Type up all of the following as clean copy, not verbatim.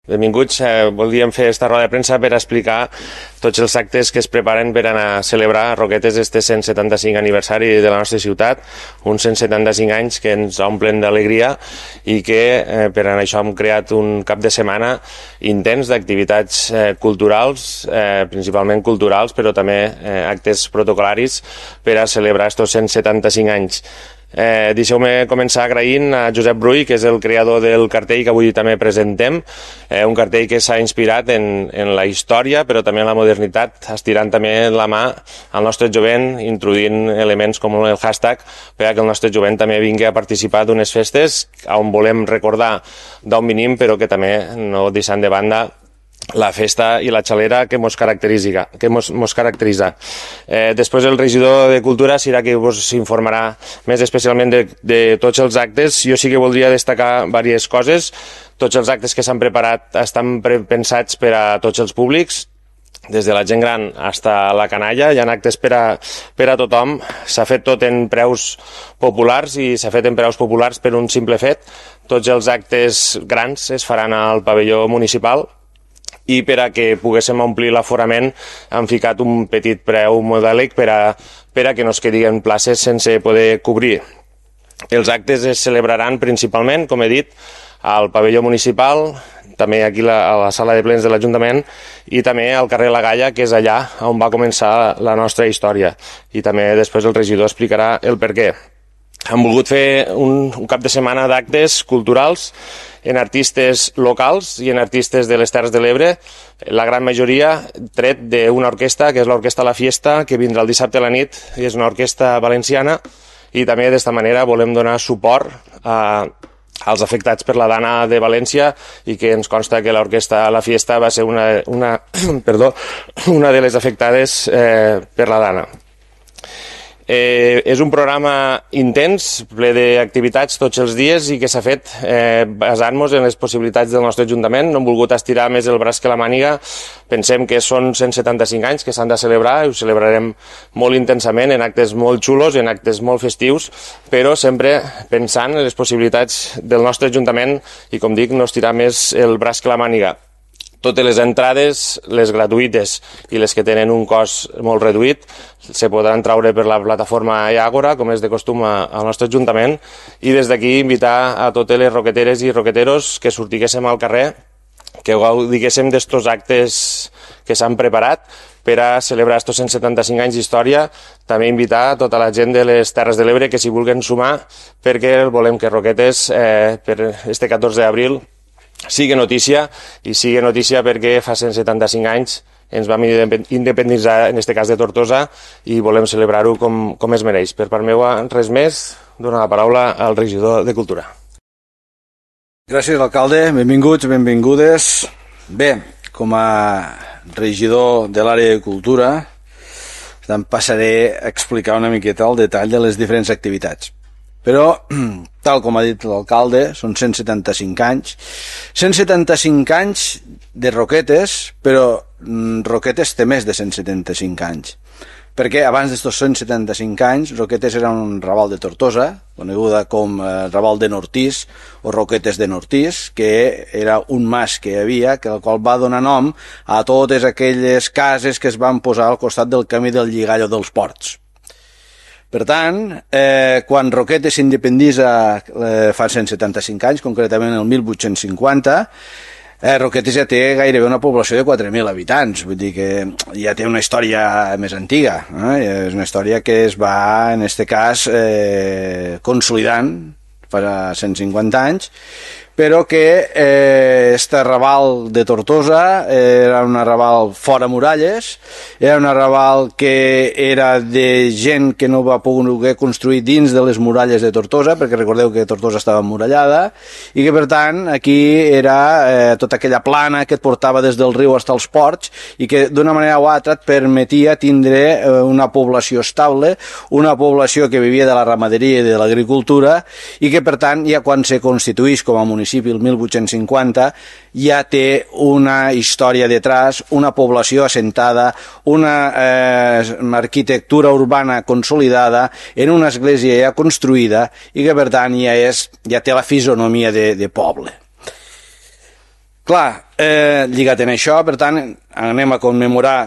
Benvinguts. Volíem fer esta roda de premsa per explicar tots els actes que es preparen per anar a celebrar a Roquetes este 175 aniversari de la nostra ciutat, uns 175 anys que ens omplen d'alegria i que per això hem creat un cap de setmana intens d'activitats culturals, principalment culturals, però també actes protocolaris per a celebrar estos 175 anys. Deixeu-me començar agraint a Josep Brull, que és el creador del cartell que avui també presentem, un cartell que s'ha inspirat en la història però també en la modernitat, estirant també la mà al nostre jovent, introduint elements com el hashtag per que el nostre jovent també vingui a participar d'unes festes on volem recordar d'on venim però que també no deixant de banda la festa i la xalera que mos caracteritza. Després el regidor de Cultura serà qui us informarà més especialment de tots els actes. Jo sí que voldria destacar diverses coses. Tots els actes que s'han preparat estan pensats per a tots els públics, des de la gent gran fins a la canalla. Hi ha actes per a tothom. S'ha fet tot en preus populars i s'ha fet en preus populars per un simple fet. Tots els actes grans es faran al pavelló municipal i per a que poguéssim omplir l'aforament han ficat un petit preu modèlic per a que no es quedin places sense poder cobrir. Els actes es celebraran principalment, com he dit, al pavelló municipal, també aquí a la sala de plens de l'Ajuntament i també al carrer La Galla, que és allà on va començar la nostra història. I també després el regidor explicarà el per què. Hem volgut fer un cap de setmana d'actes culturals en artistes locals i en artistes de les Terres de l'Ebre, la gran majoria tret d'una orquestra, que és l'Orquestra La Fiesta, que vindrà el dissabte a la nit, i és una orquestra valenciana, i també d'esta manera volem donar suport als afectats per la Dana de València i que ens consta que l'Orquestra La Fiesta va ser una de les afectades per la Dana. És un programa intens, ple d'activitats tots els dies i que s'ha fet basant-nos en les possibilitats del nostre Ajuntament. No hem volgut estirar més el braç que la màniga. Pensem que són 175 anys que s'han de celebrar i ho celebrarem molt intensament en actes molt xulos, en actes molt festius, però sempre pensant en les possibilitats del nostre Ajuntament i, com dic, no estirar més el braç que la màniga. Totes les entrades, les gratuïtes i les que tenen un cost molt reduït, se podran traure per la plataforma Àgora, com és de costum al nostre Ajuntament, i des d'aquí invitar a totes les roqueteres i roqueteros que sortiguéssim al carrer, que gaudiguéssim d'estos actes que s'han preparat per a celebrar estos 175 anys d'història. També invitar a tota la gent de les Terres de l'Ebre que s'hi vulguin sumar, perquè volem que Roquetes, per este 14 d'abril, sigui notícia, i sigui notícia perquè fa 175 anys ens vam independitzar, en aquest cas de Tortosa, i volem celebrar-ho com es mereix. Per part meva, res més, dono la paraula al regidor de Cultura. Gràcies, alcalde. Benvinguts, benvingudes. Bé, com a regidor de l'àrea de Cultura, em passaré a explicar una miqueta el detall de les diferents activitats. Però, tal com ha dit l'alcalde, són 175 anys. 175 anys de Roquetes, però Roquetes té més de 175 anys. Perquè abans d'estos 175 anys, Roquetes era un raval de Tortosa, coneguda com Raval de Nortís o Roquetes de Nortís, que era un mas que hi havia, el qual va donar nom a totes aquelles cases que es van posar al costat del camí del Lligallo dels Ports. Per tant, quan Roquetes s'independitza fa 175 anys, concretament el 1850, Roquetes ja té gairebé una població de 4.000 habitants, vull dir que ja té una història més antiga, és una història que es va, en aquest cas, consolidant fa 150 anys, però que este arrabal de Tortosa era un arrabal fora muralles, era un arrabal que era de gent que no va poder construir dins de les muralles de Tortosa, perquè recordeu que Tortosa estava emmurallada, i que per tant aquí era tota aquella plana que et portava des del riu fins als ports i que d'una manera o altra et permetia tindre una població estable, una població que vivia de la ramaderia i de l'agricultura i que per tant ja quan se constituïx com a municipi el 1850 ja té una història detrás, una població assentada, una arquitectura urbana consolidada, en una església ja construïda i que per tant ja té la fisonomia de poble. Clar, lligat en això, per tant, anem a commemorar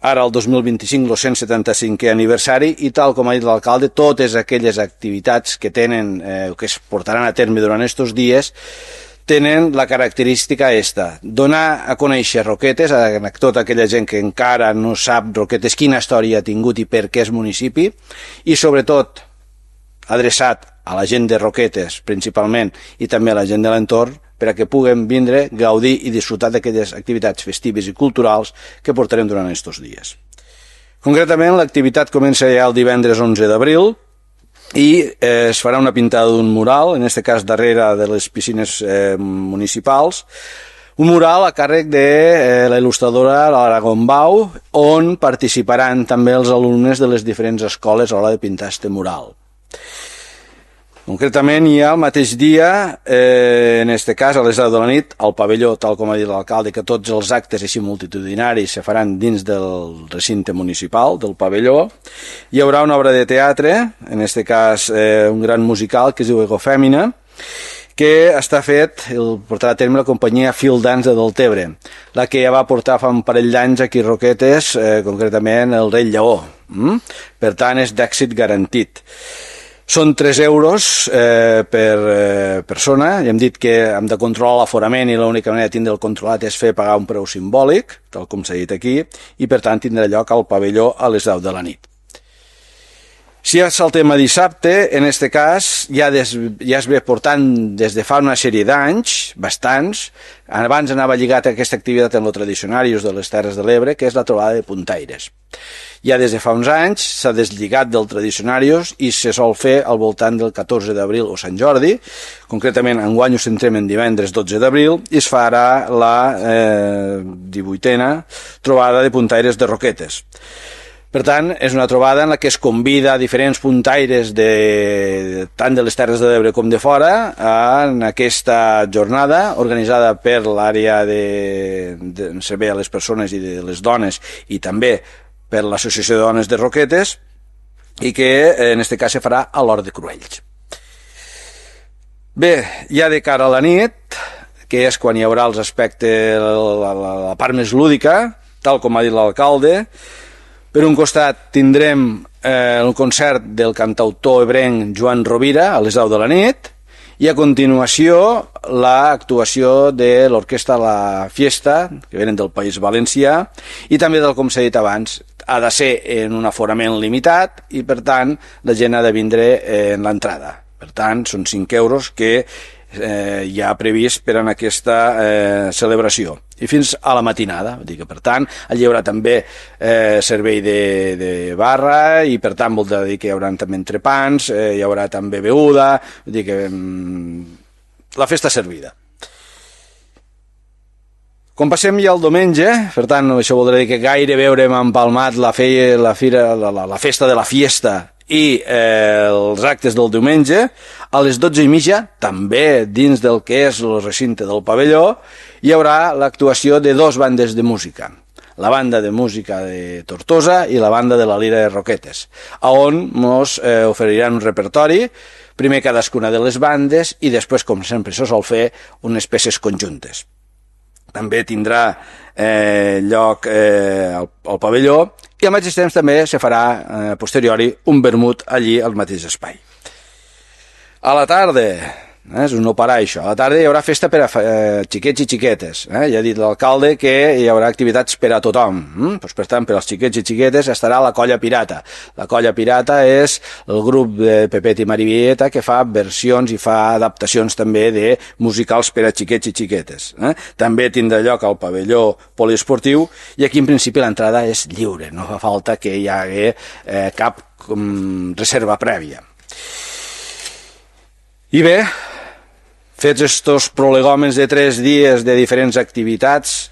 ara el 2025 el 175è aniversari i tal com ha dit l'alcalde, totes aquelles activitats que tenen, que es portaran a terme durant aquests dies, tenen la característica esta, donar a conèixer Roquetes a tota aquella gent que encara no sap Roquetes quina història ha tingut i per què és municipi, i sobretot adreçat a la gent de Roquetes principalment i també a la gent de l'entorn per a que puguem vindre, gaudir i disfrutar d'aquelles activitats festives i culturals que portarem durant aquests dies. Concretament, l'activitat comença ja el divendres 11 d'abril i es farà una pintada d'un mural, en aquest cas darrere de les piscines municipals, un mural a càrrec de la il·lustradora l'Aragon Bau, on participaran també els alumnes de les diferents escoles a l'hora de pintar aquest mural. Concretament, hi ha el mateix dia, en aquest cas, a les 10 de la nit, al pavelló, tal com ha dit l'alcalde, que tots els actes així multitudinaris se faran dins del recinte municipal, del pavelló. Hi haurà una obra de teatre, en aquest cas un gran musical que es diu Egofèmina, que està fet, el portarà a terme la companyia Fil Dance de Deltebre, la que ja va portar fa un parell d'anys aquí a Roquetes, concretament el Rei Lleó. Per tant, és d'èxit garantit. Són 3 euros per persona, i hem dit que hem de controlar l'aforament i l'única manera de tindre'l controlat és fer pagar un preu simbòlic, tal com s'ha dit aquí, i per tant tindrà lloc al pavelló a les 10 de la nit. Si ja saltem a dissabte, en aquest cas ja es ve portant des de fa una sèrie d'anys, bastants. Abans anava lligat a aquesta activitat en lo tradicionarius de les Terres de l'Ebre, que és la trobada de puntaires. Ja des de fa uns anys s'ha deslligat del tradicionarius i se sol fer al voltant del 14 d'abril o Sant Jordi. Concretament, enguany ho centrem en divendres 12 d'abril i es farà la 18a trobada de puntaires de Roquetes. Per tant, és una trobada en la que es convida a diferents puntaires tant de les Terres de l'Ebre com de fora en aquesta jornada organitzada per l'àrea de servei a les persones i de les dones i també per l'Associació de Dones de Roquetes i que en aquest cas se farà a l'Hort de Cruells. Bé, ja de cara a la nit, que és quan hi haurà els aspectes, la part més lúdica, tal com ha dit l'alcalde, per un costat tindrem el concert del cantautor ebrenc Joan Rovira a les 10 de la nit i a continuació l'actuació de l'orquestra La Fiesta, que venen del País Valencià, i també, tal com s'ha dit abans, ha de ser en un aforament limitat i, per tant, la gent ha de vindre en l'entrada. Per tant, són 5 euros que hi ha previst per en aquesta celebració i fins a la matinada, vull dir que per tant allí hi haurà també servei de barra i per tant vol dir que hi haurà també entrepans, hi haurà també beguda, vull dir que la festa servida. Quan passem ja el diumenge, per tant això voldrà dir que gairebé haurem empalmat la festa de la fiesta i els actes del diumenge. A les 12:30, també dins del que és el recinte del pavelló, hi haurà l'actuació de 2 bandes de música. La banda de música de Tortosa i la banda de la Lira de Roquetes, on ens oferiran un repertori, primer cadascuna de les bandes i després, com sempre se sol fer, unes peces conjuntes. També tindrà lloc al pavelló i al mateix temps també se farà a posteriori un vermut allí al mateix espai. A la tarda, és un no parar això, a la tarda hi haurà festa per a xiquets i xiquetes. Ja ha dit l'alcalde que hi haurà activitats per a tothom. Per tant, per als xiquets i xiquetes estarà la Colla Pirata. La Colla Pirata és el grup de Pepet i Marivieta que fa versions i fa adaptacions també de musicals per a xiquets i xiquetes. També tindrà lloc al pavelló poliesportiu i aquí en principi l'entrada és lliure, no fa falta que hi hagi cap reserva prèvia. I bé, fets estos prolegòmens de 3 dies de diferents activitats,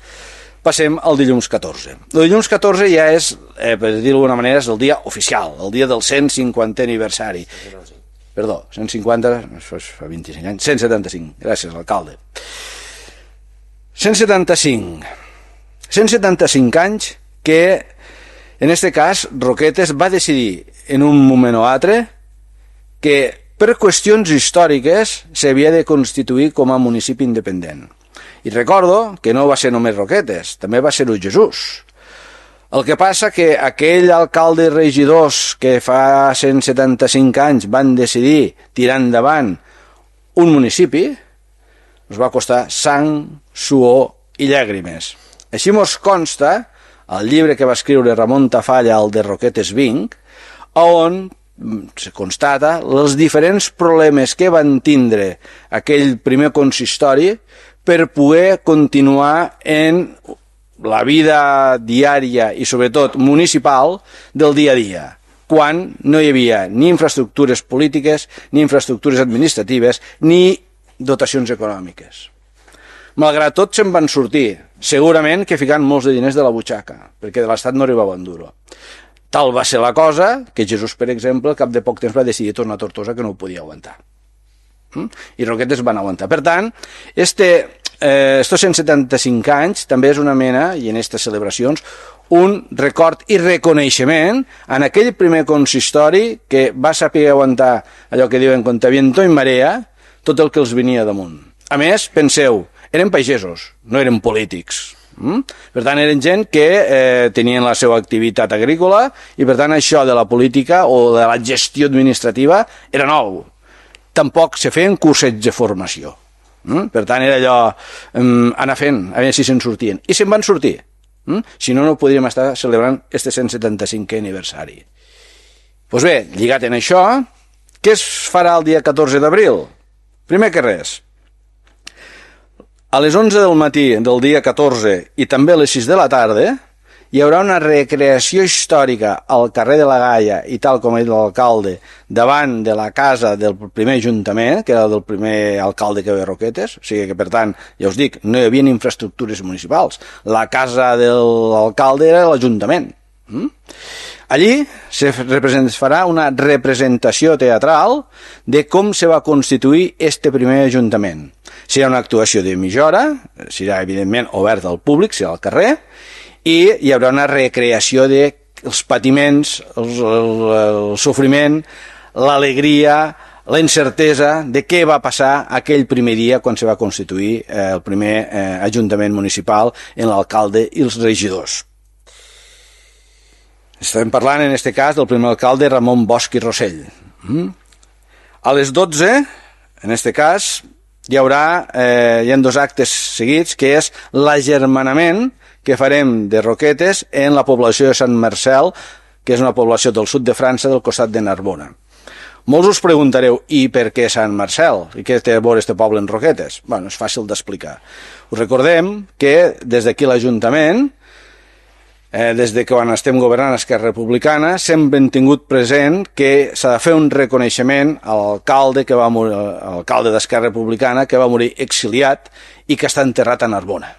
passem al dilluns 14. El dilluns 14 ja és, per dir-ho d'alguna manera, és el dia oficial, el dia del 150è aniversari. Perdó, 150, fa 25 anys, 175, gràcies, alcalde. 175 anys que, en aquest cas, Roquetes va decidir en un moment o altre que per qüestions històriques s'havia de constituir com a municipi independent. I recordo que no va ser només Roquetes, també va ser-ho Jesús. El que passa que aquell alcalde i regidors que fa 175 anys van decidir tirar endavant un municipi, ens va costar sang, suor i llàgrimes. Així mos consta el llibre que va escriure Ramon Tafalla, el de Roquetes Vinc, on se constata els diferents problemes que van tindre aquell primer consistori per poder continuar en la vida diària i sobretot municipal del dia a dia, quan no hi havia ni infraestructures polítiques, ni infraestructures administratives, ni dotacions econòmiques. Malgrat tot se'n van sortir, segurament que ficant molts de diners de la butxaca, perquè de l'Estat no arribava un duro. Tal va ser la cosa que Jesús, per exemple, al cap de poc temps va decidir tornar a Tortosa, que no ho podia aguantar. I Roquetes van aguantar. Per tant, estos 175 anys també és una mena, i en aquestes celebracions, un record i reconeixement en aquell primer consistori que va saber aguantar allò que diuen contra viento i marea, tot el que els venia damunt. A més, penseu, eren pagesos, no eren polítics. Per tant, eren gent que tenien la seva activitat agrícola i, per tant, això de la política o de la gestió administrativa era nou. Tampoc se feien cursets de formació. Per tant, era allò, anar fent, a veure si se'n sortien. I se'n van sortir. Si no, no podríem estar celebrant este 175è aniversari. Doncs bé, lligat en això, què es farà el dia 14 d'abril? Primer que res, a les 11 del matí del dia 14 i també a les 6 de la tarda hi haurà una recreació històrica al carrer de la Gaia i tal com ha dit l'alcalde davant de la casa del primer ajuntament, que era del primer alcalde que ve a Roquetes, o sigui que per tant, ja us dic, no hi havia infraestructures municipals, la casa de l'alcalde era l'Ajuntament. Allí se farà una representació teatral de com se va constituir este primer ajuntament. Serà una actuació de mitja hora, serà evidentment obert al públic, serà al carrer, i hi haurà una recreació dels patiments, el sofriment, l'alegria, la incertesa de què va passar aquell primer dia quan se va constituir el primer ajuntament municipal en l'alcalde i els regidors. Estem parlant, en aquest cas, del primer alcalde Ramon Bosch i Rossell. A les 12, en aquest cas, hi ha 2 actes seguits, que és l'agermanament que farem de Roquetes en la població de Sant Marcel, que és una població del sud de França, del costat de Narbona. Molts us preguntareu, i per què Sant Marcel? I què té a veure este poble en Roquetes? Bé, és fàcil d'explicar. Us recordem que des d'aquí l'Ajuntament, des de quan estem governant Esquerra Republicana, sempre hem tingut present que s'ha de fer un reconeixement a l'alcalde d'Esquerra Republicana que va morir exiliat i que està enterrat a Narbona.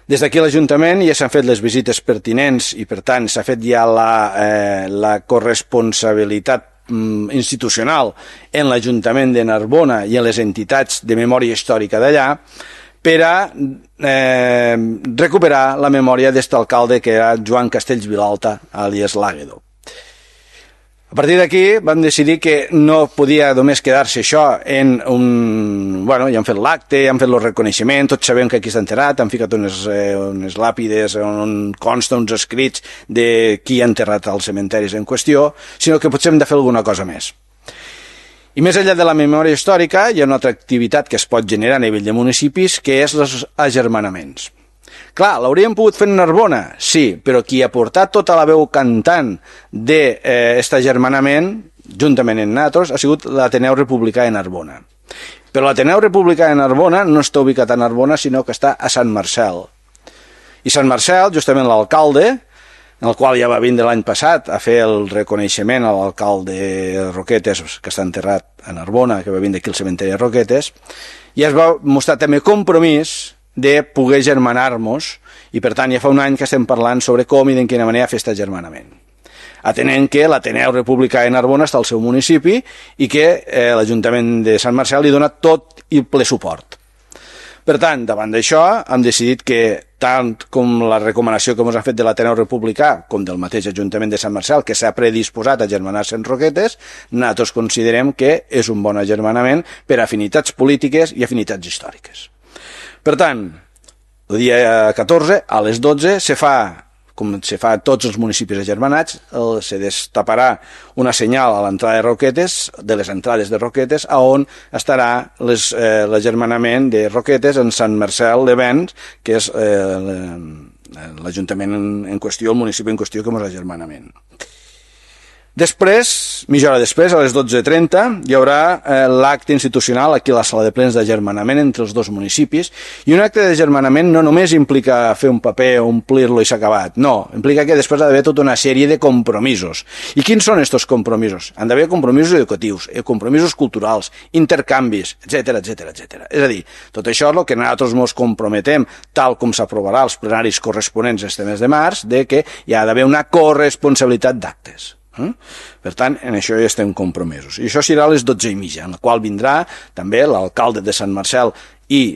Des d'aquí l'Ajuntament ja s'han fet les visites pertinents i, per tant, s'ha fet ja la corresponsabilitat institucional en l'Ajuntament de Narbona i en les entitats de memòria històrica d'allà per a recuperar la memòria d'aquest alcalde que era Joan Castells Vilalta, àlies l'Àguedo. A partir d'aquí vam decidir que no podia només quedar-se això en un... Bueno, ja han fet l'acte, ja han fet el reconeixement, tots sabem que aquí està enterrat, han ficat unes làpides on consta uns escrits de qui ha enterrat als cementaris en qüestió, sinó que potser hem de fer alguna cosa més. I més enllà de la memòria històrica, hi ha una altra activitat que es pot generar a nivell de municipis, que és els agermanaments. Clar, l'hauríem pogut fer en Narbona, sí, però qui ha portat tota la veu cantant d'aquest agermanament, juntament amb nosaltres, ha sigut l'Ateneu Republicà de Narbona. Però l'Ateneu Republicà de Narbona no està ubicat a Narbona, sinó que està a Sant Marcel. I Sant Marcel, justament l'alcalde, en el qual ja va vindre l'any passat a fer el reconeixement a l'alcalde Roquetes, que està enterrat a Narbona, que va vindre aquí al cementeri de Roquetes, i es va mostrar també compromís de poder germanar-nos, i per tant ja fa un any que estem parlant sobre com i de quina manera fer aquest agermanament. Atenent que l'Ateneu Republicà de Narbona està al seu municipi i que l'Ajuntament de Sant Marcel li dona tot i ple suport. Per tant, davant d'això, hem decidit que, tant com la recomanació que ens han fet de l'Ateneu Republicà, com del mateix Ajuntament de Sant Marcel, que s'ha predisposat a germanar-se en Roquetes, nosaltres considerem que és un bon agermanament per afinitats polítiques i afinitats històriques. Per tant, el dia 14, a les 12, com se fa a tots els municipis agermanats, se destaparà una senyal a l'entrada de Roquetes, de les entrades de Roquetes, on estarà l'agermanament de Roquetes en Sant Marcel de Vents, que és l'Ajuntament en qüestió, el municipi en qüestió, que és l'agermanament. Després, mitja hora després, a les 12:30, hi haurà l'acte institucional aquí a la sala de plens d'agermanament entre els dos municipis, i un acte d'agermanament no només implica fer un paper, omplir-lo i s'ha acabat, no, implica que després ha d'haver tota una sèrie de compromisos. I quins són aquests compromisos? Han d'haver compromisos educatius, compromisos culturals, intercanvis, etc etc. És a dir, tot això és el que nosaltres ens comprometem, tal com s'aprovarà als plenaris corresponents este mes de març, de que hi ha d'haver una corresponsabilitat d'actes. Per tant, en això ja estem compromesos. I això serà a les 12:30, en la qual vindrà també l'alcalde de Sant Marcel i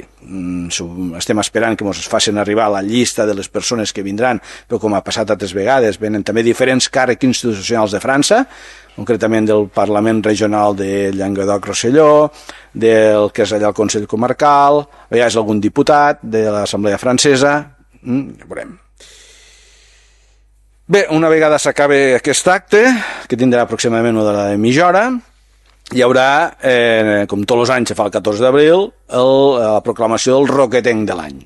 estem esperant que ens facin arribar la llista de les persones que vindran, però com ha passat altres vegades, venen també diferents càrrecs institucionals de França, concretament del Parlament Regional de Llenguadoc-Rosselló, del que és allà el Consell Comarcal, ja és algun diputat de l'Assemblea Francesa, ja veurem. Bé, una vegada s'acabi aquest acte, que tindrà aproximadament una hora de mitja hora, hi haurà, com tots els anys se fa el 14 d'abril, la proclamació del Roquetenc de l'any.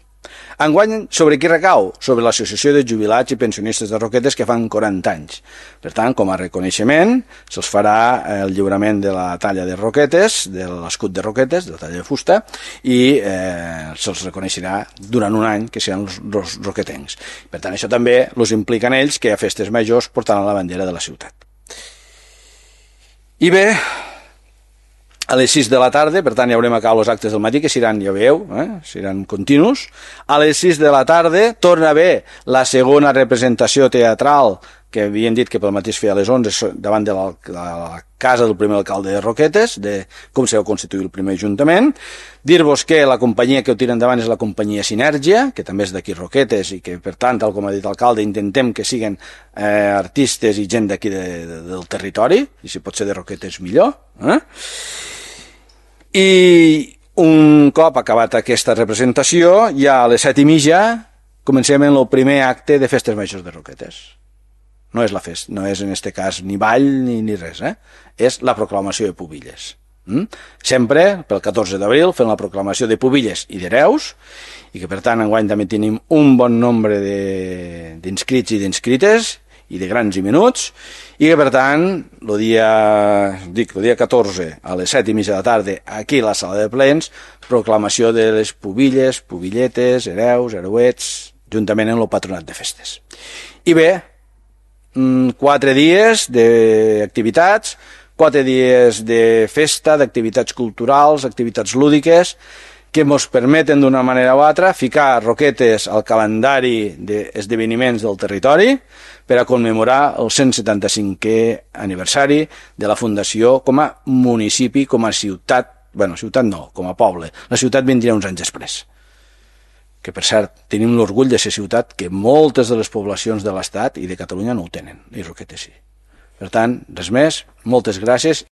Enguany, sobre qui recau? Sobre l'Associació de Jubilats i Pensionistes de Roquetes, que fan 40 anys. Per tant, com a reconeixement, se'ls farà el lliurament de la talla de Roquetes, de l'escut de Roquetes, de la talla de fusta, i se'ls reconeixerà durant un any que seran els roquetencs. Per tant, això també els implica en ells que a festes majors portaran la bandera de la ciutat. I bé, a les 6 de la tarda, per tant ja haurem acabat els actes del matí, que seran, ja veieu, seran continus. A les 6 de la tarda torna a haver la segona representació teatral, que havien dit que pel matí es feia a les 11, davant de la casa del primer alcalde de Roquetes, de com s'ha constituït el primer ajuntament. Dir-vos que la companyia que ho tira endavant és la companyia Sinergia, que també és d'aquí Roquetes, i que, per tant, tal com ha dit l'alcalde, intentem que siguin artistes i gent d'aquí del territori, i si pot ser de Roquetes millor. I un cop acabat aquesta representació, ja a les 7:30 comencem en el primer acte de festes majors de Roquetes. No és la festa, no és en este cas ni ball ni res, és la proclamació de pubilles. Sempre, pel 14 d'abril, fem la proclamació de pubilles i d'hereus, i que per tant enguany també tenim un bon nombre d'inscrits i d'inscrites, i de grans i menuts, i que per tant el dia 14 a les 7:30 de la tarda aquí a la sala de plens, proclamació de les pubilles, pubilletes, hereus, hereuets, juntament amb el patronat de festes. I bé, 4 dies d'activitats, 4 dies de festa, d'activitats culturals, activitats lúdiques, que ens permeten d'una manera o altra ficar Roquetes al calendari d'esdeveniments del territori per a commemorar el 175è aniversari de la fundació com a municipi, com a ciutat, ciutat no, com a poble. La ciutat vindria uns anys després. Que per cert, tenim l'orgull de ser ciutat que moltes de les poblacions de l'Estat i de Catalunya no ho tenen, i Roquetes sí. Per tant, res més, moltes gràcies